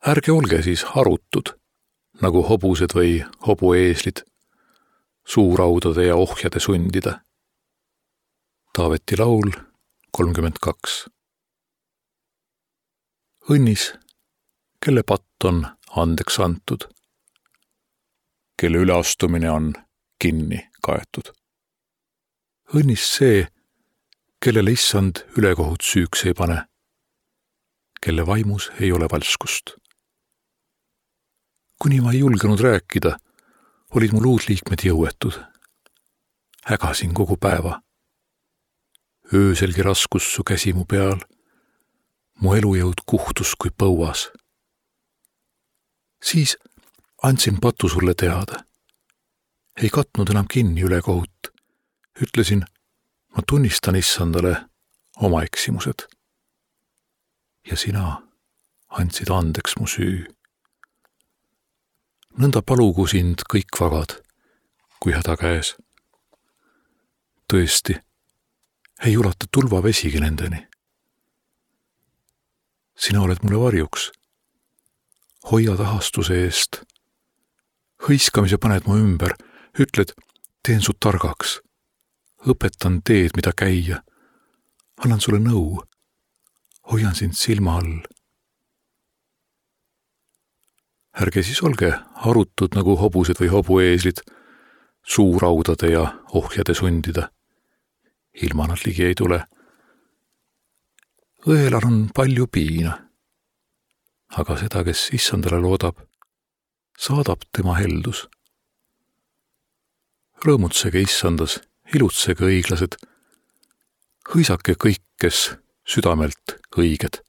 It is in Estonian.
Ärge olge siis harutud, nagu hobused või hobueeslid, suuraudade ja ohjade sundida. Taaveti laul 32. Õnnis, kelle patt on andeks antud, kelle üleastumine on kinni kaetud. Õnnis see, kellele issand ülekohut süüks ei pane, kelle vaimus ei ole valskust. Kuni ma ei julgenud rääkida, olid mu luudliikmed jõuetud. Hägasin kogu päeva. Ööselgi raskus su käsi mu peal, mu elujõud kuhtus kui põuas. Siis andsin patu sulle teada. Ei katnud enam kinni ülekohut. Ütlesin, ma tunnistan issandale oma eksimused. Ja sina andsid andeks mu süü. Nõnda palugu sind kõik vagad, kui häda käes. Tõesti, ei ulata tulvavesigi nendeni. Sina oled mulle varjuks. Hoia tahastuse eest. Hõiskamise paned mu ümber, ütled, teen su targaks. Õpetan teed, mida käia. Annan sulle nõu. Hoian sind silma all. Ärge siis olge harutud nagu hobused või hobueeslid, suuraudade ja ohjade sundida. Ilma nad ligi ei tule. Õelal on palju piina, aga seda, kes issandale loodab, saadab tema heldus. Rõõmutsege issandas, ilutsege õiglased, hõisake kõik, kes südamelt õiged.